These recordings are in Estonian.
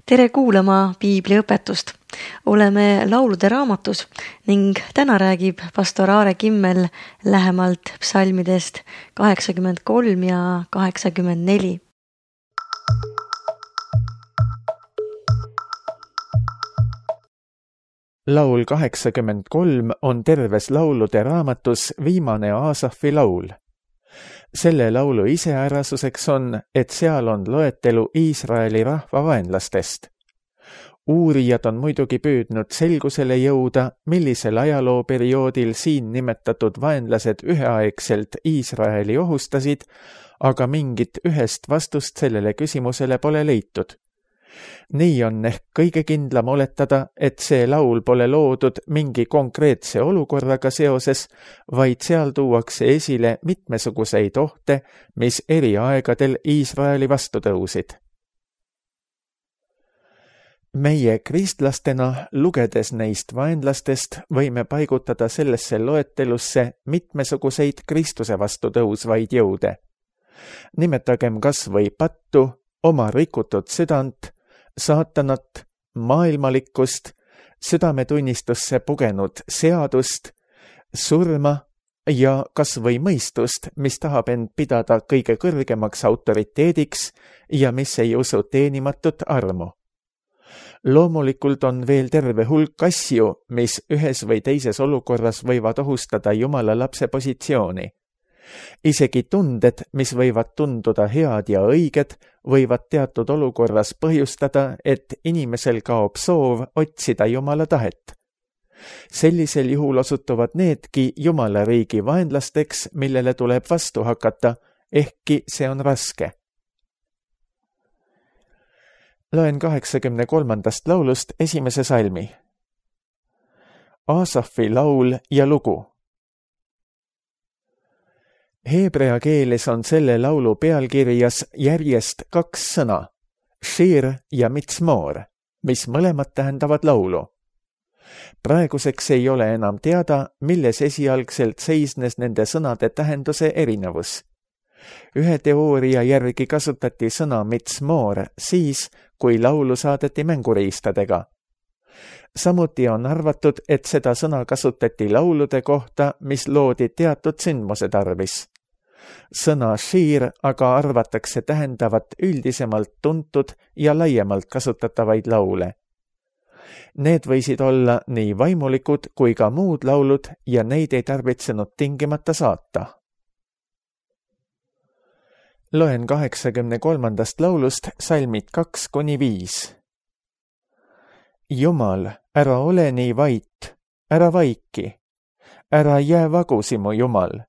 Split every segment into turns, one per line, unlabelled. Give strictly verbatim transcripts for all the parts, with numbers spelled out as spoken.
Tere kuulama piibliõpetust. Oleme laulude raamatus ning täna räägib pastor Aare Kimmel lähemalt psalmidest kaheksakümmend kolm ja kaheksakümmend neli.
Laul kaheksakümmend kolm on terves laulude raamatus viimane Aasafi laul. Selle laulu iseärasuseks on, et seal on loetelu Iisraeli rahva vaenlastest. Uurijad on muidugi püüdnud selgusele jõuda, millisel ajalooperioodil siin nimetatud vaenlased üheaegselt Iisraeli ohustasid, aga mingit ühest vastust sellele küsimusele pole leitud. Nii on ehk kõige kindlam oletada, et see laul pole loodud mingi konkreetse olukorraga seoses, vaid seal tuuakse esile mitmesuguseid ohte, mis eri aegadel Iisraeli vastu tõusid. Meie kristlastena, lugedes neist vaenlastest, võime paigutada sellesse loetelusse mitmesuguseid Kristuse vastu tõusvaid jõude. Nimetagem kas või pattu, oma rikutud südant, saatanat, maailmalikkust, südametunnistusse pugenud seadust, surma ja kas või mõistust, mis tahab end pidada kõige kõrgemaks autoriteediks ja mis ei usu teenimatut armu. Loomulikult on veel terve hulk asju, mis ühes või teises olukorras võivad ohustada Jumala lapse positsiooni. Isegi tunded, mis võivad tunduda head ja õiged, võivad teatud olukorras põhjustada, et inimesel kaob soov otsida Jumala tahet. Sellisel juhul osutuvad needki Jumala riigi vaenlasteks, millele tuleb vastu hakata, ehkki see on raske. Loen kaheksakümne kolmandast laulust esimese salmi. Aasafi laul ja lugu. Heebrea keeles on selle laulu pealkirjas järjest kaks sõna, shir ja mitsmoor, mis mõlemad tähendavad laulu. Praeguseks ei ole enam teada, milles esialgselt seisnes nende sõnade tähenduse erinevus. Ühe teooria järgi kasutati sõna mitsmoor siis, kui laulu saadeti mänguriistadega. Samuti on arvatud, et seda sõna kasutati laulude kohta, mis loodi teatud sündmuse tarvis. Sõna shir aga arvatakse tähendavat üldisemalt tuntud ja laiemalt kasutatavaid laule. Need võisid olla nii vaimulikud kui ka muud laulud ja neid ei tarvitsenud tingimata saata. Loen kaheksakümne kolmandast laulust salmid kaks kuni viis. Jumal, ära ole nii vait, ära vaiki, ära jää vagusi mu Jumal,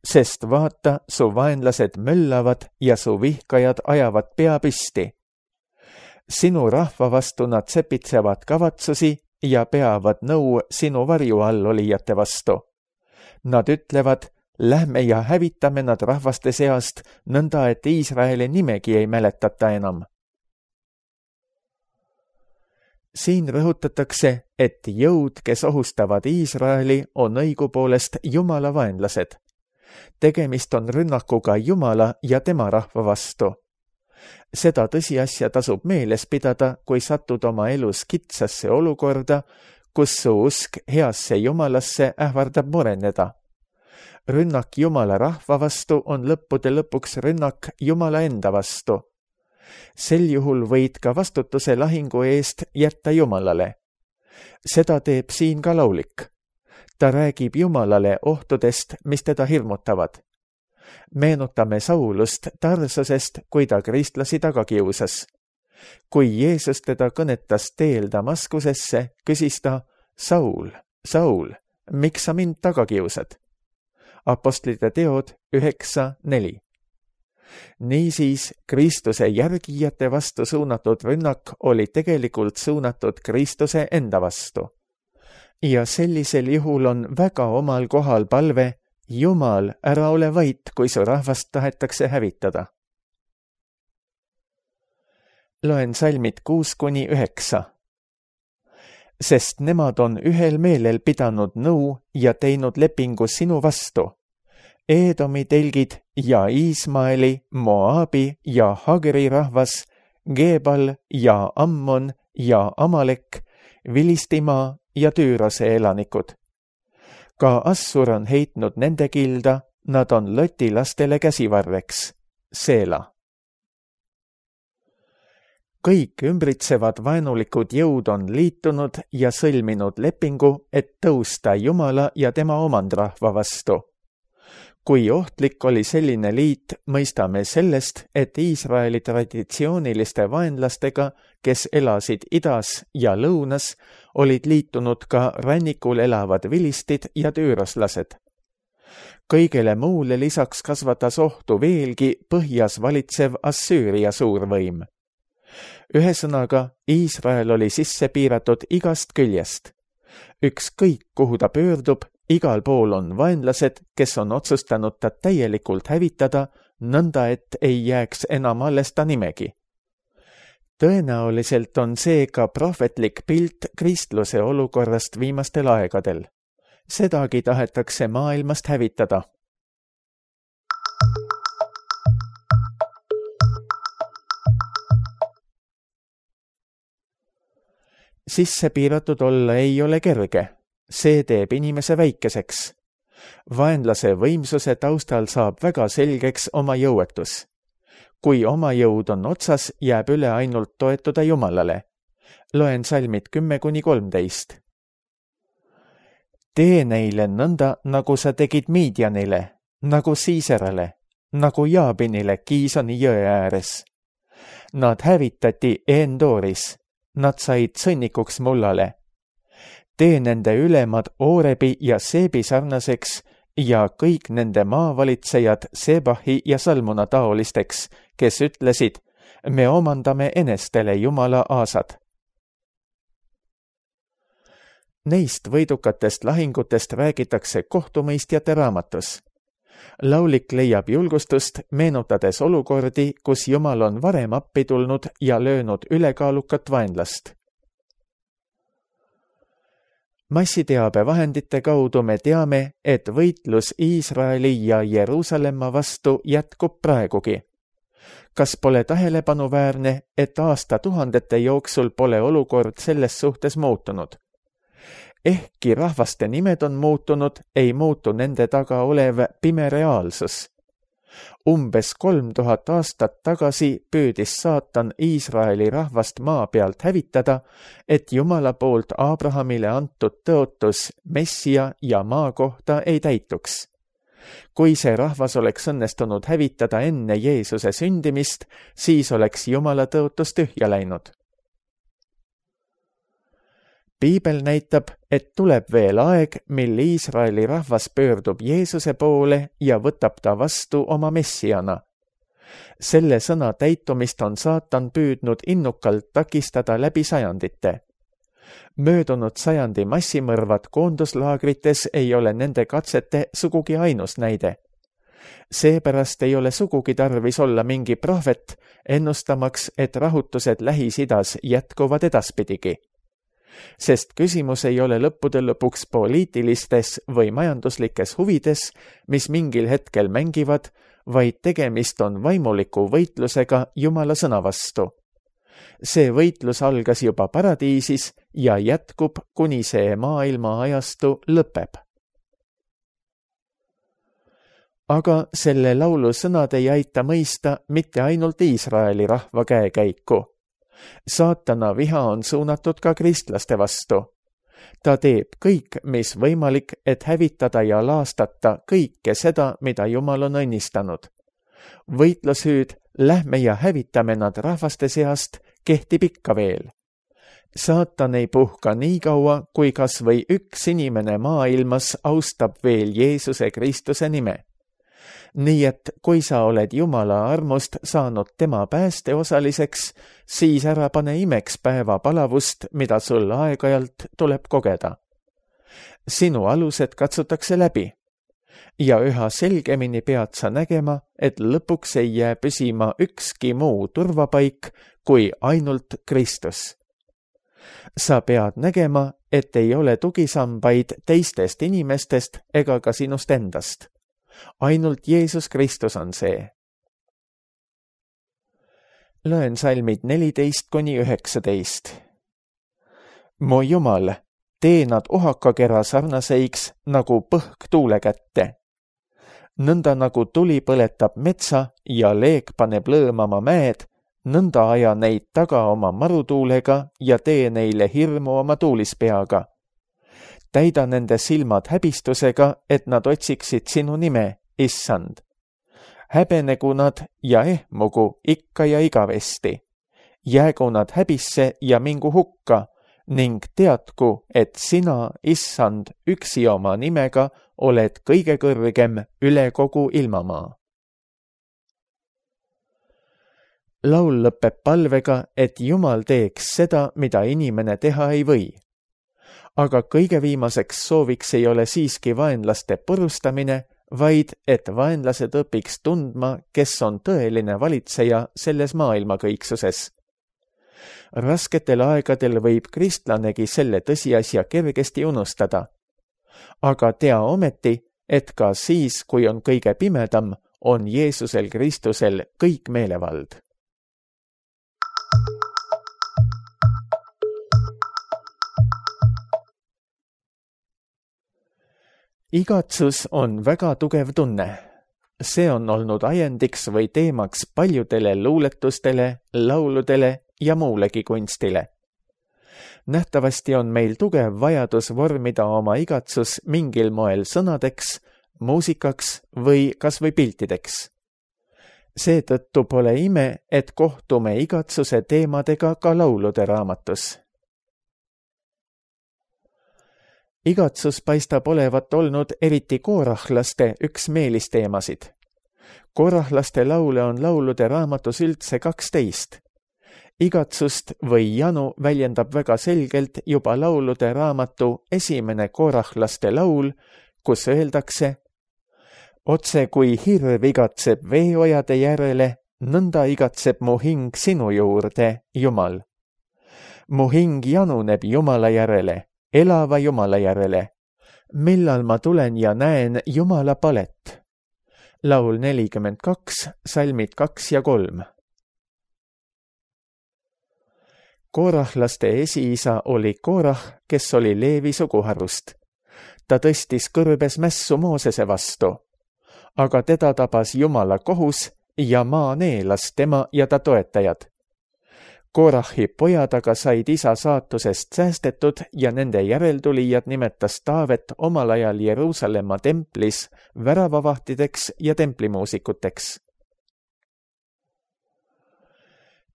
sest vaata, su vaenlased möllavad ja su vihkajad ajavad pea püsti. Sinu rahva vastu nad sepitsevad kavatsusi ja peavad nõu sinu varju all olijate vastu. Nad ütlevad, lähme ja hävitame nad rahvaste seast, nõnda et Iisraeli nimegi ei mäletata enam. Siin rõhutatakse, et jõud, kes ohustavad Iisraeli, on õigupoolest Jumala vaenlased. Tegemist on rünnakuga Jumala ja tema rahva vastu. Seda tõsiasja tasub meeles pidada, kui satud oma elus kitsasse olukorda, kus su usk heasse Jumalasse ähvardab mureneda. Rünnak Jumala rahva vastu on lõppude lõpuks rünnak Jumala enda vastu. Sel juhul võid ka vastutuse lahingu eest jätta Jumalale. Seda teeb siin ka laulik. Ta räägib Jumalale ohtudest, mis teda hirmutavad. Meenutame Saulust Tarsusest, kui ta kristlasi taga kiusas. Kui Jeesus teda kõnetas teel Damaskusesse, küsis ta, Saul, Saul, miks sa mind taga kiusad? Apostlite teod üheksa neli. Niisiis, Kristuse järgijate vastu suunatud rünnak oli tegelikult suunatud Kristuse enda vastu. Ja sellisel juhul on väga omal kohal palve, Jumal, ära ole vait, kui su rahvast tahetakse hävitada. Loen salmid kuus kuni üheksa. Sest nemad on ühel meelel pidanud nõu ja teinud lepingu sinu vastu. Eedomi telgid ja Iismaeli, Moabi ja Hagri rahvas, Gebal ja Ammon ja Amalek, Vilistimaa ja Tüürose elanikud. Ka Assur on heitnud nende kilda, nad on Loti lastele käsivarreks, Seela. Kõik ümbritsevad vaenulikud jõud on liitunud ja sõlminud lepingu, et tõusta Jumala ja tema omandrahva vastu. Kui ohtlik oli selline liit, mõistame sellest, et Iisraeli traditsiooniliste vaenlastega, kes elasid idas ja lõunas, olid liitunud ka rannikul elavad vilistid ja tüüroslased. Kõigele muule lisaks kasvatas ohtu veelgi põhjas valitsev Assüüria suurvõim. Ühesõnaga, Iisrael oli sisse piiratud igast küljest. Ükskõik, kuhu ta pöördub, igal pool on vaenlased, kes on otsustanud ta täielikult hävitada, nõnda et ei jääks enam alles ta nimegi. Tõenäoliselt on see ka prohvetlik pilt kristluse olukorrast viimastel aegadel. Sedagi tahetakse maailmast hävitada. Sisse piiratud olla ei ole kerge. See teeb inimese väikeseks. Vaenlase võimsuse taustal saab väga selgeks oma jõuetus. Kui oma jõud on otsas, jääb üle ainult toetuda Jumalale. Loen salmid kümme kuni kolmteist. Tee neile nõnda, nagu sa tegid Midianile, nagu Siiserale, nagu Jaabinile Kiisoni jõe ääres. Nad hävitati Endooris. Nad said sõnnikuks mullale. Tee nende ülemad Oorebi ja Seebi sarnaseks ja kõik nende maavalitsejad Sebahi ja Salmuna taolisteks, kes ütlesid, me omandame enestele Jumala aasad. Neist võidukatest lahingutest räägitakse kohtumõistjate raamatus. Laulik leiab julgustust, meenutades olukordi, kus Jumal on varem appi tulnud ja löönud ülekaalukat vaenlast. Massiteabe vahendite kaudu me teame, et võitlus Iisraeli ja Jeruusalemma vastu jätkub praegugi. Kas pole tähelepanuväärne, et aastatuhandete jooksul pole olukord selles suhtes muutunud? Ehkki rahvaste nimed on muutunud, ei muutu nende taga olev pime reaalsus. Umbes kolm tuhat aastat tagasi püüdis saatan Iisraeli rahvast maa pealt hävitada, et Jumala poolt Abrahamile antud tõotus Messia ja maa kohta ei täituks. Kui see rahvas oleks õnnestunud hävitada enne Jeesuse sündimist, siis oleks Jumala tõotus tühja läinud. Piibel näitab, et tuleb veel aeg, mil Iisraeli rahvas pöördub Jeesuse poole ja võtab ta vastu oma messiana. Selle sõna täitumist on saatan püüdnud innukalt takistada läbi sajandite. Möödunud sajandi massimõrvad koonduslaagrites ei ole nende katsete sugugi ainus näide. Seepärast ei ole sugugi tarvis olla mingi prohvet, ennustamaks, et rahutused Lähis-Idas jätkuvad edaspidigi. Sest küsimus ei ole lõppude lõpuks poliitilistes või majanduslikes huvides, mis mingil hetkel mängivad, vaid tegemist on vaimuliku võitlusega Jumala sõna vastu. See võitlus algas juba paradiisis ja jätkub, kuni see maailma ajastu lõpeb. Aga selle laulu sõnad ei aita mõista mitte ainult Iisraeli rahva käekäiku. Saatana viha on suunatud ka kristlaste vastu. Ta teeb kõik, mis võimalik, et hävitada ja laastata kõike seda, mida Jumal on õnnistanud. Võitlushüüd, lähme ja hävitame nad rahvaste seast, kehtib ikka veel. Saatan ei puhka nii kaua, kui kas või üks inimene maailmas austab veel Jeesuse Kristuse nime. Nii et kui sa oled Jumala armust saanud tema pääste osaliseks, siis ära pane imeks päeva palavust, mida sul aeg-ajalt tuleb kogeda. Sinu alused katsutakse läbi ja üha selgemini pead sa nägema, et lõpuks ei jää püsima ükski muu turvapaik kui ainult Kristus. Sa pead nägema, et ei ole tugisambaid teistest inimestest ega ka sinust endast. Ainult Jeesus Kristus on see. Loen salmid neliteist kuni üheksateist. Mu Jumal, tee nad ohakakera sarnaseiks nagu põhk tuule kätte. Nõnda nagu tuli põletab metsa ja leek paneb lõõmama mäed, nõnda aja neid taga oma marutuulega ja tee neile hirmu oma tuulispeaga. Täida nende silmad häbistusega, et nad otsiksid sinu nime, Issand. Häbenegu nad ja ehmugu ikka ja igavesti. Jäägu nad häbisse ja mingu hukka ning teadku, et sina, Issand, üksi oma nimega oled kõige kõrgem üle kogu ilmamaa. Laul lõpeb palvega, et Jumal teeks seda, mida inimene teha ei või. Aga kõige viimaseks sooviks ei ole siiski vaenlaste purustamine, vaid et vaenlased õpiks tundma, kes on tõeline valitseja selles maailma kõiksuses. Rasketel aegadel võib kristlanegi selle tõsiasja kergesti unustada. Aga tea ometi, et ka siis, kui on kõige pimedam, on Jeesusel Kristusel kõik meelevald. Igatsus on väga tugev tunne. See on olnud ajendiks või teemaks paljudele luuletustele, lauludele ja muulegi kunstile. Nähtavasti on meil tugev vajadus vormida oma igatsus mingil moel sõnadeks, muusikaks või kas või piltideks. Seetõttu pole ime, et kohtume igatsuse teemadega ka laulude raamatus. Igatsus paistab olevat olnud eriti koorahlaste üks meelisteemasid. Koorahlaste laule on laulude raamatus üldse kaksteist. Igatsust või janu väljendab väga selgelt juba laulude raamatu esimene koorahlaste laul, kus öeldakse: Otse kui hirv igatseb veeojade järele, nõnda igatseb mu hing sinu juurde, Jumal. Mu hing januneb Jumala järele, elava Jumala järele. Millal ma tulen ja näen Jumala palet? Laul nelikümmend kaks, salmid kaks ja kolm. Koorahlaste esiisa oli Koorah, kes oli Leevi suguharust. Ta tõstis kõrbes mässu Moosese vastu, aga teda tabas Jumala kohus ja maa neelas tema ja ta toetajad. Koorahi pojad aga said isa saatusest säästetud ja nende järeltulijad nimetas Taavet omal ajal Jeruusalemma templis väravavahtideks ja templimuusikuteks.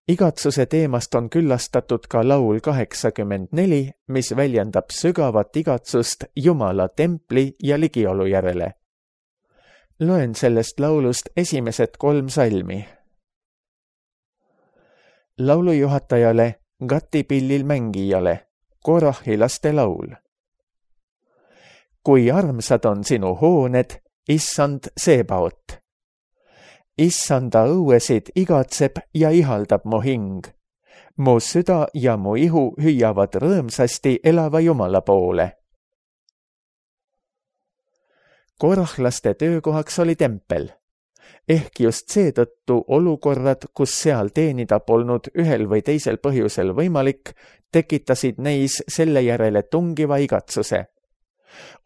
Igatsuse teemast on küllastatud ka laul kaheksakümmend neli, mis väljendab sügavat igatsust Jumala templi ja ligiolu järele. Loen sellest laulust esimesed kolm salmi. Laulujuhatajale, Gati pillil mängijale, Koorahi laste laul. Kui armsad on sinu hooned, Issand Sebaot. Issanda õuesid igatseb ja ihaldab mu hing. Mu süda ja mu ihu hüüavad rõõmsasti elava Jumala poole. Koorahlaste töökohaks oli tempel. Ehk just seetõttu olukorrad, kus seal teenida polnud ühel või teisel põhjusel võimalik, tekitasid neis selle järele tungiva igatsuse.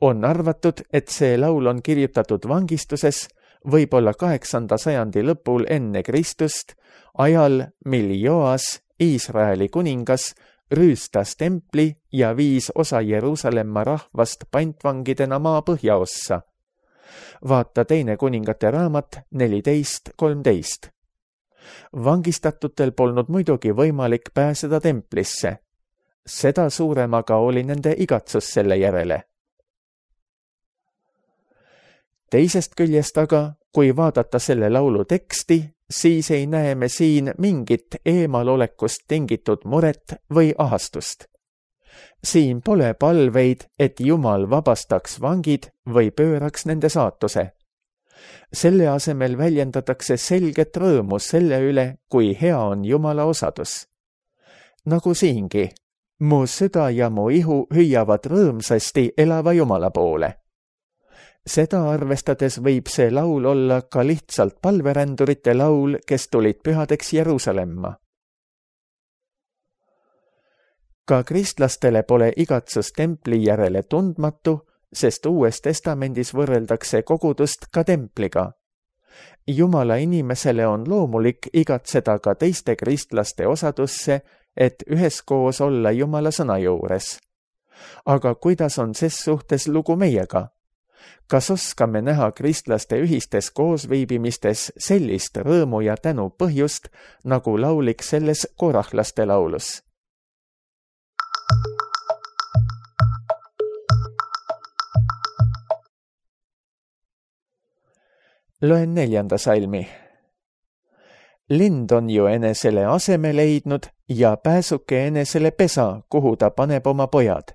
On arvatud, et see laul on kirjutatud vangistuses, võib-olla kaheksanda sajandi lõpul enne Kristust, ajal, mil Joas, Iisraeli kuningas, rüüstas templi ja viis osa Jeruusalemma rahvast pantvangidena maa põhjaossa. Vaata teine kuningate raamat neliteist kolmteist. Vangistatutel polnud muidugi võimalik pääseda templisse. Seda suurem aga oli nende igatsus selle järele. Teisest küljest aga, kui vaadata selle laulu teksti, siis ei näe me siin mingit eemalolekust tingitud muret või ahastust. Siin pole palveid, et Jumal vabastaks vangid või pööraks nende saatuse. Selle asemel väljendatakse selget rõõmu selle üle, kui hea on Jumala osadus. Nagu siingi, mu süda ja mu ihu hüüavad rõõmsasti elava Jumala poole. Seda arvestades võib see laul olla ka lihtsalt palverändurite laul, kes tulid pühadeks Jeruusalemma. Ka kristlastele pole igatsus templi järele tundmatu, sest Uues Testamendis võrreldakse kogudust ka templiga. Jumala inimesele on loomulik igatseda ka teiste kristlaste osadusse, et üheskoos olla Jumala sõna juures. Aga kuidas on ses suhtes lugu meiega? Kas oskame näha kristlaste ühistes koosviibimistes sellist rõõmu ja tänu põhjust, nagu laulik selles korahlaste laulus? Loen neljanda salmi. Lind on ju enesele aseme leidnud ja pääsuke enesele pesa, kuhu ta paneb oma pojad.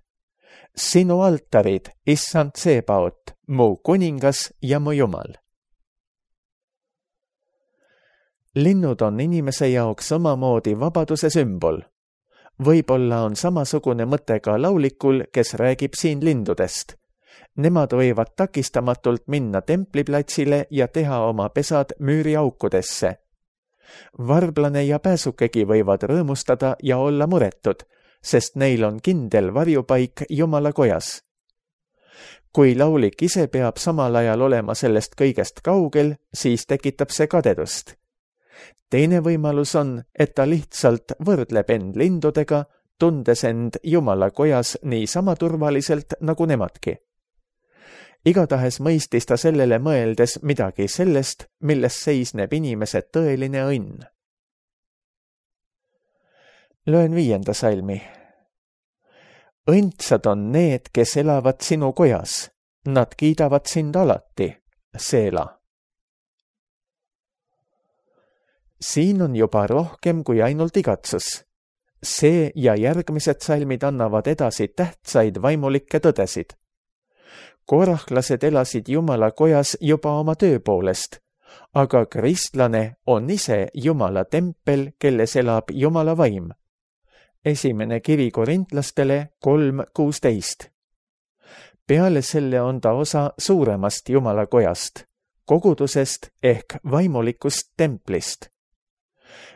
Sinu altarid, issand Sebaot, mu kuningas ja mu Jumal. Linnud on inimese jaoks omamoodi vabaduse sümbol. Võib-olla on samasugune mõte ka laulikul, kes räägib siin lindudest. Nemad võivad takistamatult minna templiplatsile ja teha oma pesad müüriaukudesse. Varblane ja pääsukegi võivad rõõmustada ja olla muretud, sest neil on kindel varjupaik Jumala kojas. Kui laulik ise peab samal ajal olema sellest kõigest kaugel, siis tekitab see kadedust. Teine võimalus on, et ta lihtsalt võrdleb end lindudega, tundes end Jumala kojas niisama turvaliselt nagu nemadki. Igatahes mõistis ta sellele mõeldes midagi sellest, milles seisneb inimese tõeline õnn. Loen viienda salmi. Õndsad on need, kes elavad sinu kojas. Nad kiidavad sind alati, Seela. Siin on juba rohkem kui ainult igatsus. See ja järgmised salmid annavad edasi tähtsaid vaimulikke tõdesid. Korahlased elasid Jumala kojas juba oma töö poolest, aga kristlane on ise Jumala tempel, kelles elab Jumala vaim. Esimene kiri korintlastele kolm kuusteist. Peale selle on ta osa suuremast Jumala kojast, kogudusest ehk vaimulikust templist.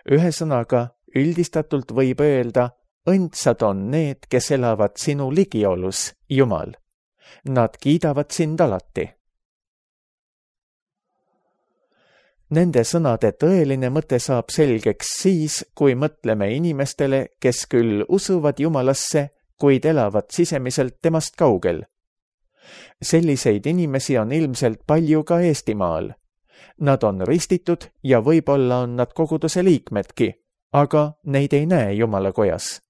Ühesõnaga, üldistatult võib öelda, õndsad on need, kes elavad sinu ligiolus, Jumal. Nad kiidavad sind alati. Nende sõnade tõeline mõte saab selgeks siis, kui mõtleme inimestele, kes küll usuvad Jumalasse, kuid elavad sisemiselt temast kaugel. Selliseid inimesi on ilmselt palju ka Eestimaal. Nad on ristitud ja võib-olla on nad koguduse liikmedki, aga neid ei näe Jumala kojas.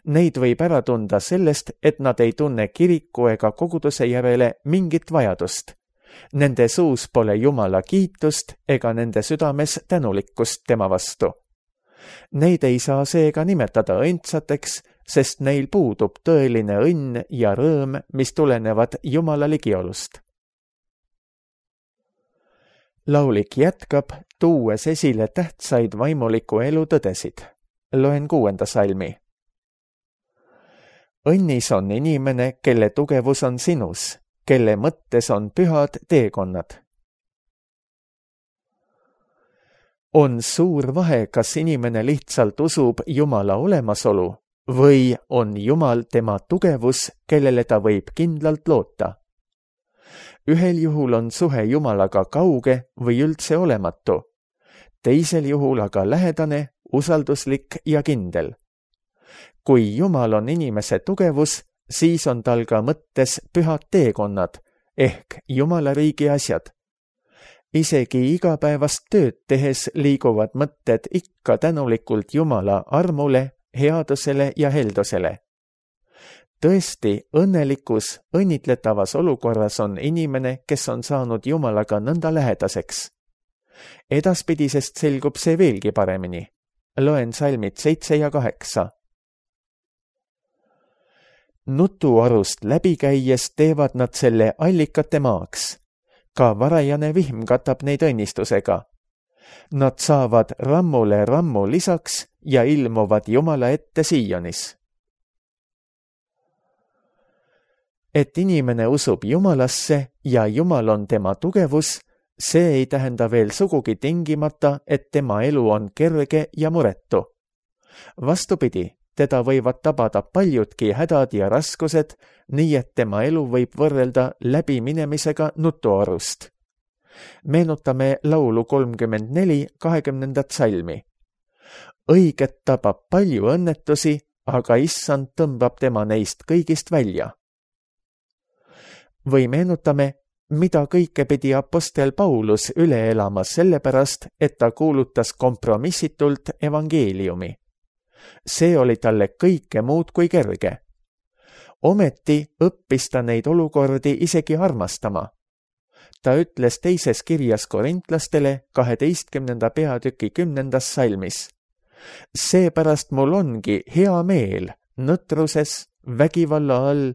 Neid võib ära tunda sellest, et nad ei tunne kiriku ega koguduse järele mingit vajadust. Nende suus pole Jumala kiitust ega nende südames tänulikkust tema vastu. Neid ei saa seega nimetada õndsateks, sest neil puudub tõeline õnn ja rõõm, mis tulenevad Jumala ligiolust. Laulik jätkab, tuues esile tähtsaid vaimuliku elu tõdesid. Loen kuuenda salmi. Õnnis on inimene, kelle tugevus on sinus, kelle mõttes on pühad teekonnad. On suur vahe, kas inimene lihtsalt usub Jumala olemasolu või on Jumal tema tugevus, kellele ta võib kindlalt loota. Ühel juhul on suhe Jumalaga kauge või üldse olematu, teisel juhul aga lähedane, usalduslik ja kindel. Kui Jumal on inimese tugevus, siis on tal ka mõttes pühad teekonnad ehk Jumala riigi asjad. Isegi igapäevast tööd tehes liiguvad mõtted ikka tänulikult Jumala armule, headusele ja heldusele. Tõesti, õnnelikus, õnnitletavas olukorras on inimene, kes on saanud Jumalaga nõnda lähedaseks. Edaspidisest selgub see veelgi paremini. Loen salmid seitse ja kaheksa. Nutuarust läbi käies teevad nad selle allikate maaks. Ka varajane vihm katab neid õnnistusega. Nad saavad rammule rammu lisaks ja ilmuvad Jumala ette Sionis. Et inimene usub Jumalasse ja Jumal on tema tugevus, see ei tähenda veel sugugi tingimata, et tema elu on kerge ja muretu. Vastupidi, teda võivad tabada paljudki hädad ja raskused, nii et tema elu võib võrrelda läbiminemisega nutuarust. Meenutame laulu kolmkümmend neli kahekümnendat salmi. Õiget tabab palju õnnetusi, aga issand tõmbab tema neist kõigist välja. Või meenutame, mida kõike pidi apostel Paulus üle elama sellepärast, et ta kuulutas kompromissitult evangeeliumi. See oli talle kõike muud kui kerge. Ometi õppis ta neid olukordi isegi armastama. Ta ütles teises kirjas korintlastele kaheteistkümnenda peatüki kümnendas salmis. Seepärast mul ongi hea meel nõtruses, vägivalla all,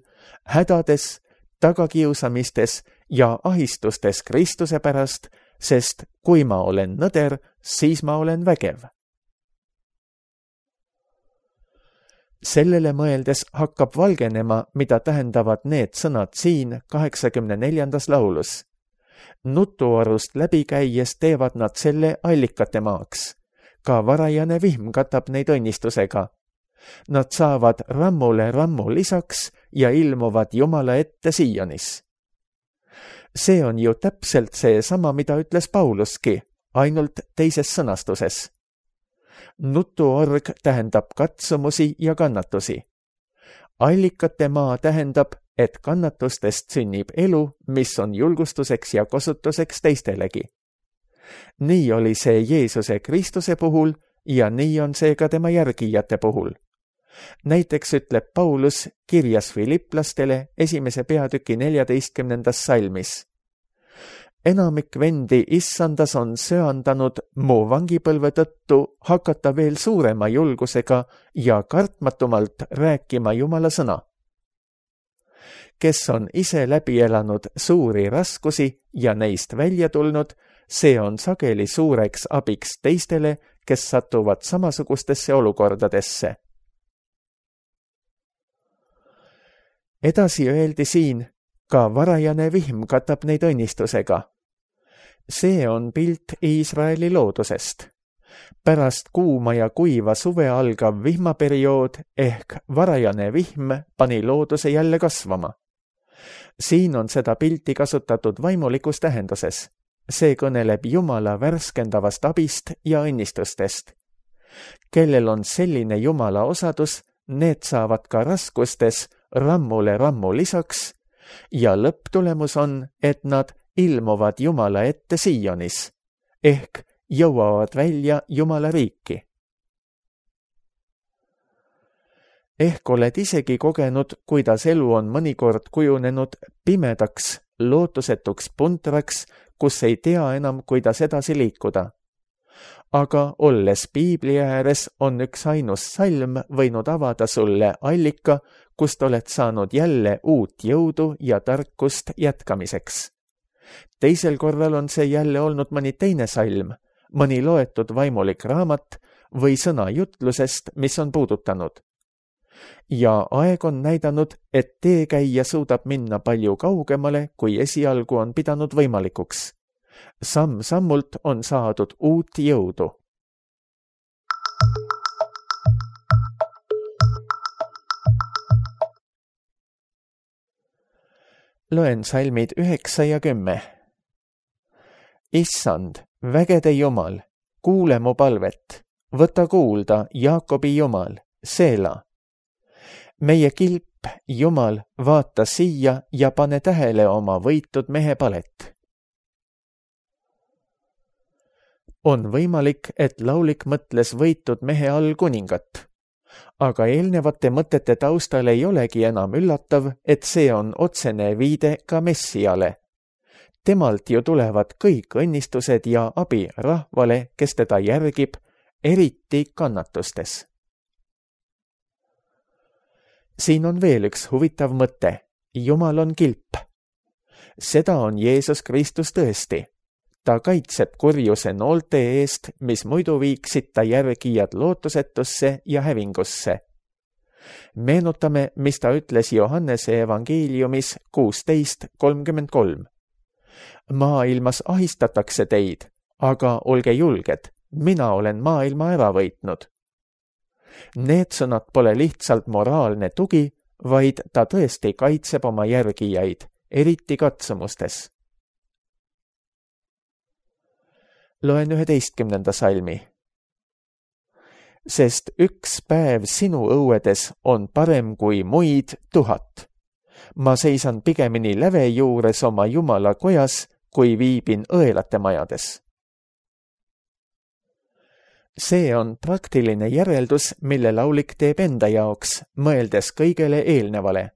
hädades, tagakiusamistes ja ahistustes Kristuse pärast, sest kui ma olen nõder, siis ma olen vägev. Sellele mõeldes hakkab valgenema, mida tähendavad need sõnad siin kaheksakümne neljandas laulus. Nutuarust läbi käies teevad nad selle allikate maaks. Ka varajane vihm katab neid õnnistusega. Nad saavad rammule rammu lisaks ja ilmuvad Jumala ette Sionis. See on ju täpselt see sama, mida ütles Pauluski, ainult teises sõnastuses. Nutuorg tähendab katsumusi ja kannatusi. Allikate maa tähendab, et kannatustest sünnib elu, mis on julgustuseks ja kosutuseks teistelegi. Nii oli see Jeesuse Kristuse puhul ja nii on see ka tema järgijate puhul. Näiteks ütleb Paulus kirjas Filiplastele esimese peatüki neljateistkümnendas salmis. Enamik vendi issandas on söandanud mu vangipõlve tõttu hakata veel suurema julgusega ja kartmatumalt rääkima Jumala sõna. Kes on ise läbi elanud suuri raskusi ja neist välja tulnud, see on sageli suureks abiks teistele, kes satuvad samasugustesse olukordadesse. Edasi öeldi siin, ka varajane vihm katab neid õnnistusega. See on pilt Iisraeli loodusest. Pärast kuuma ja kuiva suve algav vihmaperiood ehk varajane vihm pani looduse jälle kasvama. Siin on seda pilti kasutatud vaimulikus tähenduses. See kõneleb Jumala värskendavast abist ja õnnistustest. Kellel on selline Jumala osadus, need saavad ka raskustes rammule rammu lisaks ja lõpptulemus on, et nad ilmuvad Jumala ette Sionis ehk jõuavad välja Jumala riiki. Ehk oled isegi kogenud, kuidas elu on mõnikord kujunenud pimedaks, lootusetuks puntraks, kus ei tea enam, kuidas edasi liikuda. Aga olles Piibli ääres on üks ainus salm võinud avada sulle allika, kust oled saanud jälle uut jõudu ja tarkust jätkamiseks. Teisel korral on see jälle olnud mõni teine salm, mõni loetud vaimulik raamat või sõna jutlusest, mis on puudutanud. Ja aeg on näidanud, et teekäija suudab minna palju kaugemale, kui esialgu on pidanud võimalikuks. Samm-sammult on saadud uut jõudu. Loen salmid üheksa ja kümme. Issand, vägede Jumal, kuule mu palvet, võta kuulda, Jaakobi Jumal, Seela. Meie kilp, Jumal, vaata siia ja pane tähele oma võitud mehe palet. On võimalik, et laulik mõtles võitud mehe all kuningat. Aga eelnevate mõtete taustal ei olegi enam üllatav, et see on otsene viide ka Messiale. Temalt ju tulevad kõik õnnistused ja abi rahvale, kes teda järgib, eriti kannatustes. Siin on veel üks huvitav mõte. Jumal on kilp. Seda on Jeesus Kristus tõesti. Ta kaitseb kurjuse noolte eest, mis muidu viiksid ta järgijad lootusetusse ja hävingusse. Meenutame, mis ta ütles Johannese evangeeliumis kuusteist kolmkümmend kolm. Maailmas ahistatakse teid, aga olge julged, mina olen maailma ära võitnud. Need sõnad pole lihtsalt moraalne tugi, vaid ta tõesti kaitseb oma järgijaid, eriti katsumustes. Loen üheteistkümnenda salmi. Sest üks päev sinu õuedes on parem kui muid tuhat. Ma seisan pigemini läve juures oma Jumala kojas, kui viibin õelate majades. See on praktiline järeldus, mille laulik teeb enda jaoks, mõeldes kõigele eelnevale.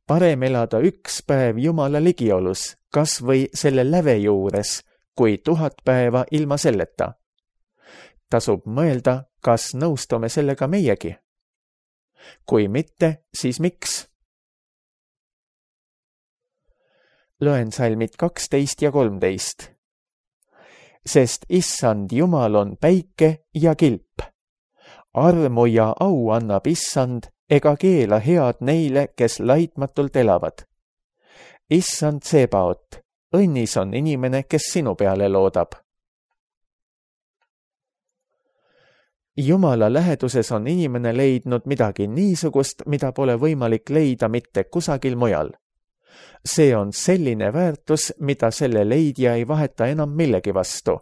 Parem elada üks päev Jumala ligiolus, kas või selle läve juures, kui tuhat päeva ilma selleta. Tasub mõelda, kas nõustume sellega meiegi? Kui mitte, siis miks? Loen salmid kaksteist ja kolmteist. Sest issand Jumal on päike ja kilp. Armu ja au annab issand, ega keela head neile, kes laitmatult elavad. Issand Sebaot, õnnis on inimene, kes sinu peale loodab. Jumala läheduses on inimene leidnud midagi niisugust, mida pole võimalik leida mitte kusagil mujal. See on selline väärtus, mida selle leidja ei vaheta enam millegi vastu.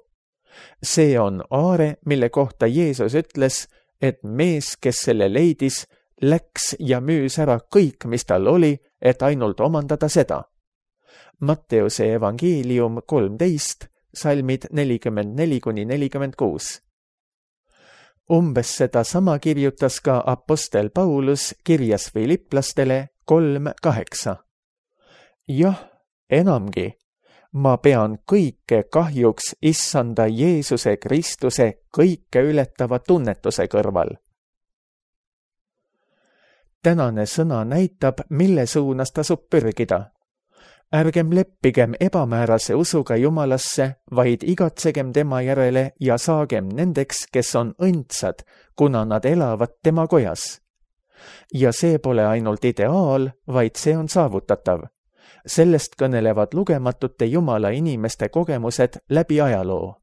See on aare, mille kohta Jeesus ütles, et mees, kes selle leidis, läks ja müüs ära kõik, mis tal oli, et ainult omandada seda. Matteuse evangeelium kolmteist, salmid nelikümmend neli kuni nelikümmend kuus. Umbes seda sama kirjutas ka apostel Paulus kirjas Filiplastele kolm kaheksa. Jah, enamgi, ma pean kõike kahjuks issanda Jeesuse Kristuse kõike ületava tunnetuse kõrval. Tänane sõna näitab, mille suunas tasub pürgida. Ärgem leppigem ebamäärase usuga Jumalasse, vaid igatsegem tema järele ja saagem nendeks, kes on õndsad, kuna nad elavad tema kojas. Ja see pole ainult ideaal, vaid see on saavutatav. Sellest kõnelevad lugematute Jumala inimeste kogemused läbi ajaloo.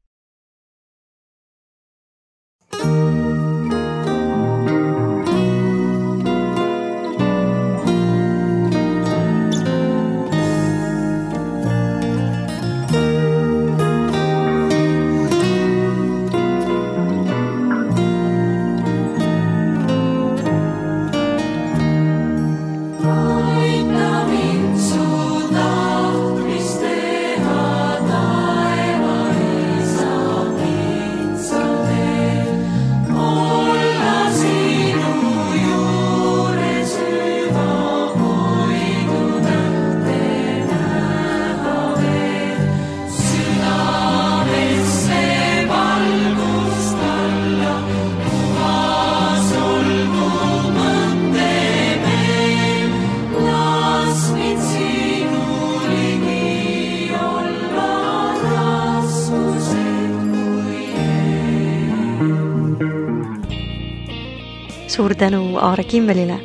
Suur tänu Aare Kimmelile.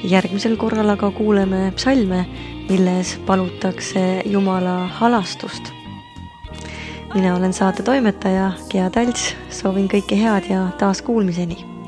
Järgmisel korral aga kuuleme psalme, milles palutakse Jumala halastust. Mina olen saate toimetaja Gea Talts, soovin kõike head ja taas kuulmiseni.